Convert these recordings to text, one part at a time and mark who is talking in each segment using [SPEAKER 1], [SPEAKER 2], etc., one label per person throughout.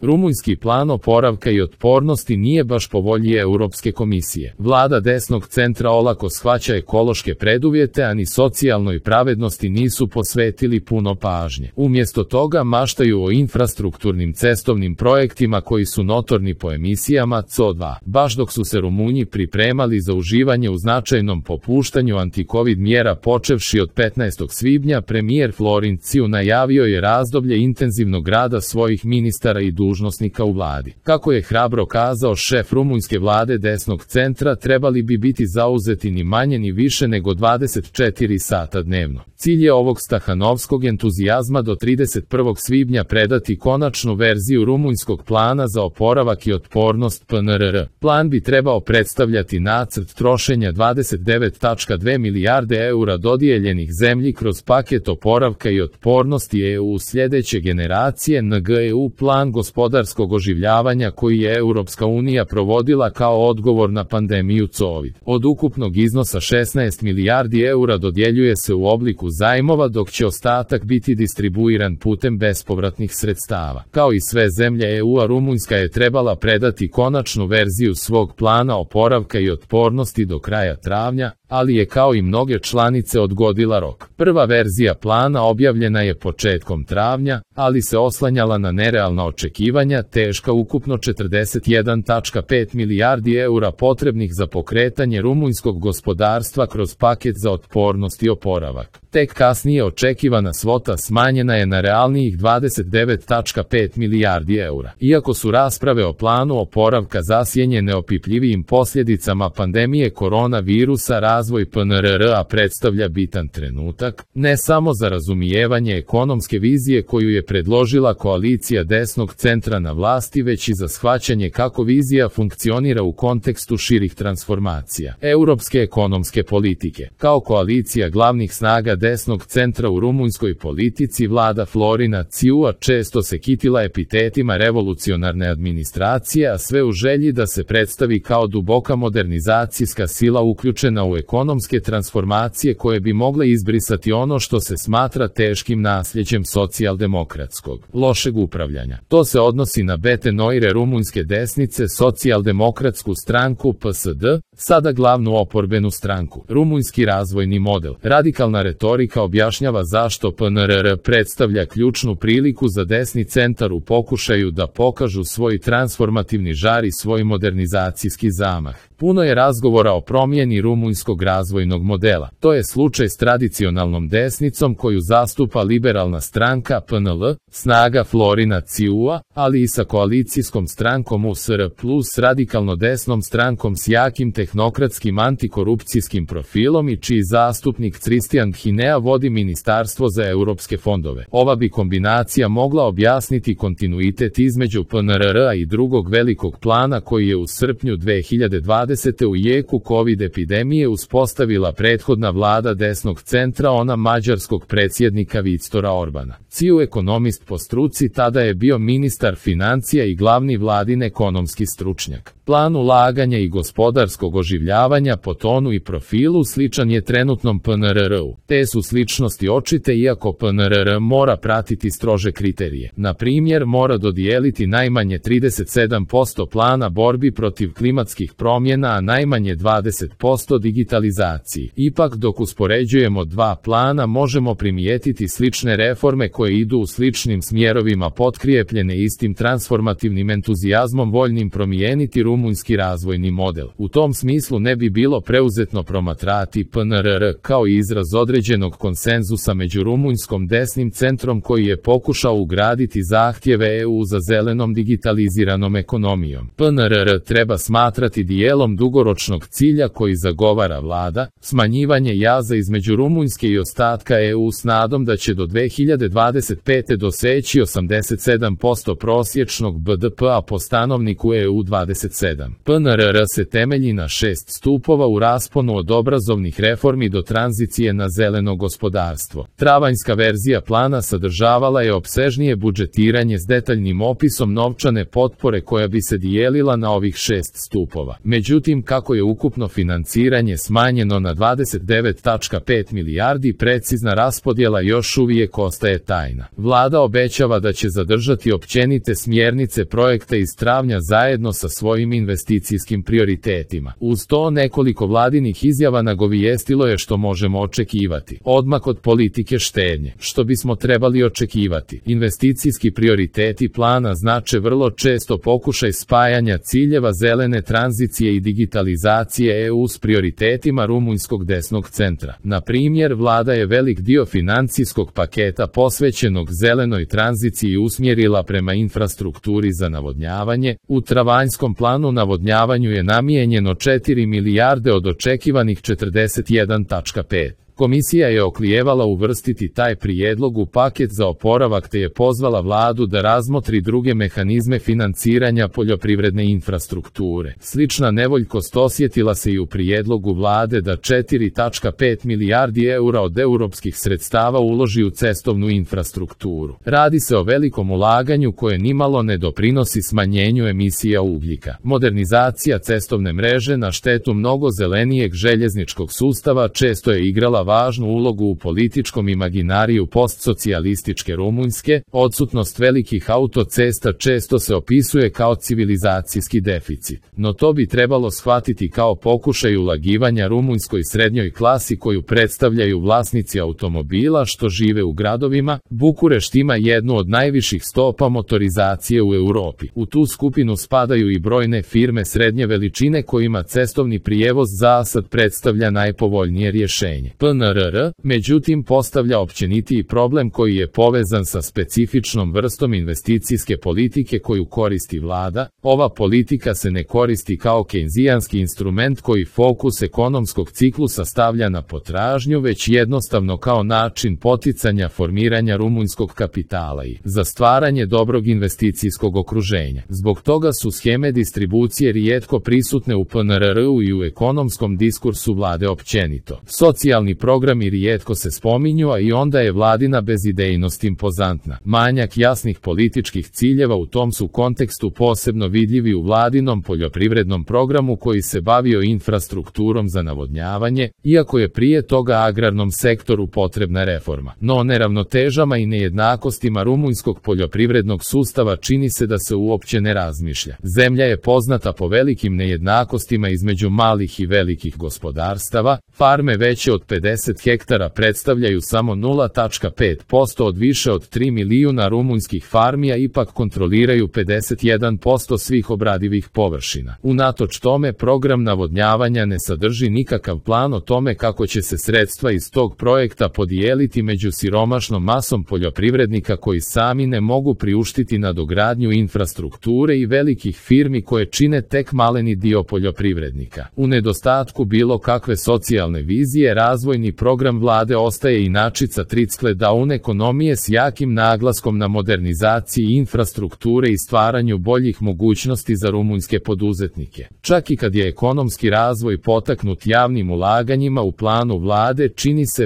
[SPEAKER 1] Rumunjski plan oporavka i otpornosti nije baš po volji Europske komisije. Vlada desnog centra olako shvaća ekološke preduvjete, a ni socijalnoj pravednosti nisu posvetili puno pažnje. Umjesto toga maštaju o infrastrukturnim cestovnim projektima koji su notorni po emisijama CO2. Baš dok su se Rumunji pripremali za uživanje u značajnom popuštanju antikovid mjera počevši od 15. svibnja, premijer Florin Ciu najavio je razdoblje intenzivnog rada svojih ministara i dužnosnika u vladi. Kako je hrabro kazao šef rumunjske vlade desnog centra, trebali bi biti zauzeti ni manje ni više nego 24 sata dnevno. Cilj je ovog stahanovskog entuzijazma do 31. svibnja predati konačnu verziju rumunjskog plana za oporavak i otpornost PNRR. Plan bi trebao predstavljati nacrt trošenja 29,2 milijarde eura dodijeljenih zemlji kroz paket oporavka i otpornosti EU sljedeće generacije NGEU plan gospodarskog oživljavanja koji je Europska unija provodila kao odgovor na pandemiju COVID. Od ukupnog iznosa 16 milijardi eura dodjeljuje se u obliku zajmova, dok će ostatak biti distribuiran putem bespovratnih sredstava. Kao i sve zemlje EU-a, Rumunjska je trebala predati konačnu verziju svog plana oporavka i otpornosti do kraja travnja, ali je kao i mnoge članice odgodila rok. Prva verzija plana objavljena je početkom travnja, ali se oslanjala na nerealna očekivanja, teška ukupno 41,5 milijardi eura potrebnih za pokretanje rumunjskog gospodarstva kroz paket za otpornost i oporavak. Tek kasnije očekivana svota smanjena je na realnijih 29,5 milijardi eura. Iako su rasprave o planu oporavka zasjenjene opipljivijim posljedicama pandemije koronavirusa, razvoj PNRR-a predstavlja bitan trenutak, ne samo za razumijevanje ekonomske vizije koju je predložila koalicija desnog centra na vlasti, već i za shvaćanje kako vizija funkcionira u kontekstu širih transformacija europske ekonomske politike. Kao koalicija glavnih snaga desnog centra u rumunjskoj politici, vlada Florina Ciua često se kitila epitetima revolucionarne administracije, a sve u želji da se predstavi kao duboka modernizacijska sila uključena u ekonomske transformacije koje bi mogle izbrisati ono što se smatra teškim nasljeđem socijaldemokratskog lošeg upravljanja. To se odnosi na Bete Noire rumunjske desnice, socijaldemokratsku stranku PSD, sada glavnu oporbenu stranku. Rumunjski razvojni model. Radikalna retorika objašnjava zašto PNRR predstavlja ključnu priliku za desni centar u pokušaju da pokažu svoj transformativni žar i svoj modernizacijski zamah. Puno je razgovora o promjeni rumunjskog razvojnog modela. To je slučaj s tradicionalnom desnicom koju zastupa liberalna stranka PNL, snaga Florina Ciua, ali i sa koalicijskom strankom USR plus radikalno desnom strankom s jakim tehnokratskim antikorupcijskim profilom i čiji zastupnik Cristian Hinea vodi Ministarstvo za europske fondove. Ova bi kombinacija mogla objasniti kontinuitet između PNRR-a i drugog velikog plana koji je u srpnju 2020. u jeku COVID epidemije uspostavila prethodna vlada desnog centra, ona mađarskog predsjednika Viktora Orbana. Ciu, ekonomist po struci, tada je bio ministar financija i glavni vladin ekonomski stručnjak. Plan ulaganja i gospodarskog oživljavanja po tonu i profilu sličan je trenutnom PNRR-u. Te su sličnosti očite, iako PNRR mora pratiti strože kriterije. Na primjer, mora dodijeliti najmanje 37% plana borbi protiv klimatskih promjena, a najmanje 20% digitalizaciji. Ipak, dok uspoređujemo dva plana, možemo primijetiti slične reforme koje idu u sličnim smjerovima, potkrijepljene istim transformativnim entuzijazmom voljnim promijeniti rumunjski razvojni model. U tom smislu ne bi bilo preuzetno promatrati PNRR kao izraz određenog konsenzusa među rumunjskom desnim centrom koji je pokušao ugraditi zahtjeve EU za zelenom digitaliziranom ekonomijom. PNRR treba smatrati dijelom dugoročnog cilja koji zagovara vlada, smanjivanje jaza između Rumunjske i ostatka EU s nadom da će do 2025. doseći 87% prosječnog BDP-a po stanovniku EU 27. PNRR se temelji na 6 stupova u rasponu od obrazovnih reformi do tranzicije na zeleno gospodarstvo. Travanjska verzija plana sadržavala je opsežnije budžetiranje s detaljnim opisom novčane potpore koja bi se dijelila na ovih 6 stupova. Međutim, Međutim, kako je ukupno financiranje smanjeno na 29,5 milijardi, precizna raspodjela još uvijek ostaje tajna. Vlada obećava da će zadržati općenite smjernice projekta iz travnja zajedno sa svojim investicijskim prioritetima. Uz to nekoliko vladinih izjava nagovijestilo je što možemo očekivati. Odmak od politike štednje. Što bismo trebali očekivati? Investicijski prioriteti plana znače vrlo često pokušaj spajanja ciljeva zelene tranzicije i digitalizacije EU s prioritetima rumunjskog desnog centra. Na primjer, vlada je velik dio financijskog paketa posvećenog zelenoj tranziciji usmjerila prema infrastrukturi za navodnjavanje. U travanjskom planu navodnjavanju je namijenjeno 4 milijarde od očekivanih 41,5. Komisija je oklijevala uvrstiti taj prijedlog u paket za oporavak te je pozvala vladu da razmotri druge mehanizme financiranja poljoprivredne infrastrukture. Slična nevoljkost osjetila se i u prijedlogu vlade da 4,5 milijardi eura od europskih sredstava uloži u cestovnu infrastrukturu. Radi se o velikom ulaganju koje nimalo ne doprinosi smanjenju emisija ugljika. Modernizacija cestovne mreže na štetu mnogo zelenijeg željezničkog sustava često je igrala važnu ulogu u političkom imaginariju postsocijalističke Rumunjske. Odsutnost velikih autocesta često se opisuje kao civilizacijski deficit, no to bi trebalo shvatiti kao pokušaj ulagivanja rumunjskoj srednjoj klasi koju predstavljaju vlasnici automobila što žive u gradovima. Bukurešt ima jednu od najviših stopa motorizacije u Europi. U tu skupinu spadaju i brojne firme srednje veličine kojima cestovni prijevoz zasad predstavlja najpovoljnije rješenje. PNRR, međutim, postavlja općenitiji problem koji je povezan sa specifičnom vrstom investicijske politike koju koristi vlada. Ova politika se ne koristi kao keynesijanski instrument koji fokus ekonomskog ciklusa stavlja na potražnju, već jednostavno kao način poticanja formiranja rumunjskog kapitala i za stvaranje dobrog investicijskog okruženja. Zbog toga su sheme distribucije rijetko prisutne u PNRR-u i u ekonomskom diskursu vlade općenito. Socijalni programi rijetko se spominju, a i onda je vladina bezidejnost impozantna. Manjak jasnih političkih ciljeva u tom su kontekstu posebno vidljivi u vladinom poljoprivrednom programu koji se bavio infrastrukturom za navodnjavanje, iako je prije toga agrarnom sektoru potrebna reforma. No neravnotežama i nejednakostima rumunjskog poljoprivrednog sustava čini se da se uopće ne razmišlja. Zemlja je poznata po velikim nejednakostima između malih i velikih gospodarstava. Farme veće od 50 hektara predstavljaju samo 0,5% od više od 3 milijuna rumunjskih farmi, a ipak kontroliraju 51% svih obradivih površina. Unatoč tome, program navodnjavanja ne sadrži nikakav plan o tome kako će se sredstva iz tog projekta podijeliti među siromašnom masom poljoprivrednika koji sami ne mogu priuštiti nadogradnju infrastrukture i velikih firmi koje čine tek maleni dio poljoprivrednika. U nedostatku bilo kakve socijalne vizije, razvojni program vlade ostaje inačica trickle down ekonomije s jakim naglaskom na modernizaciji infrastrukture i stvaranju boljih mogućnosti za rumunjske poduzetnike. Čak i kad je ekonomski razvoj potaknut javnim ulaganjima u planu vlade,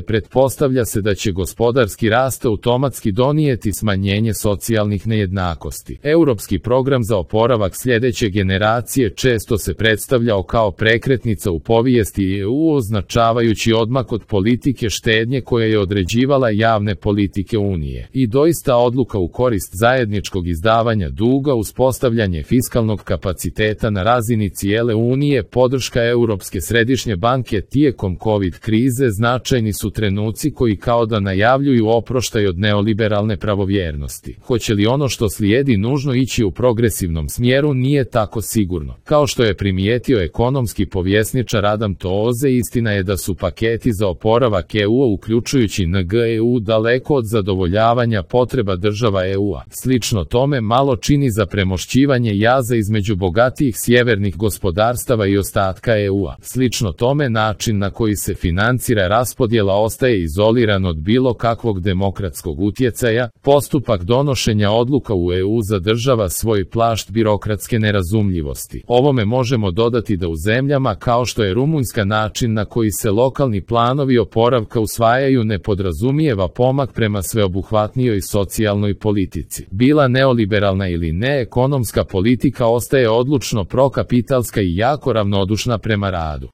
[SPEAKER 1] pretpostavlja se da će gospodarski rast automatski donijeti smanjenje socijalnih nejednakosti. Europski program za oporavak sljedeće generacije često se predstavljao kao prekretnica u povijesti EU, označavajući odmak od politike štednje koja je određivala javne politike Unije. I doista odluka u korist zajedničkog izdavanja duga, uspostavljanje fiskalnog kapaciteta na razini cijele Unije, podrška Europske središnje banke tijekom COVID krize značajni su trenuci koji kao da najavljuju oproštaj od neoliberalne pravovjernosti. Hoće li ono što slijedi nužno ići u progresivnom smjeru, nije tako sigurno. Kao što je primijetio ekonomski povjesničar Adam Tooze, istina je da su paketi za oporavak EU, uključujući NGEU, daleko od zadovoljavanja potreba država EU-a. Slično tome malo čini za premošćivanje jaza između bogatijih sjevernih gospodarstava i ostatka EU-a. Slično tome način na koji se financira raspodjela ostaje izoliran od bilo kakvog demokratskog utjecaja. Postupak donošenja odluka u EU zadržava svoj plašt birokratske nerazumljivosti. Ovome možemo dodati da u zemljama kao što je Rumunjska način na koji se lokalni planovi planovi oporavka usvajaju ne podrazumijeva pomak prema sveobuhvatnijoj socijalnoj politici. Bila neoliberalna ili ne, ekonomska politika ostaje odlučno prokapitalska i jako ravnodušna prema radu.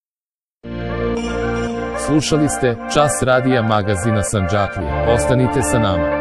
[SPEAKER 1] Slušali ste Čas radija magazina Sandžaklija. Ostanite sa nama.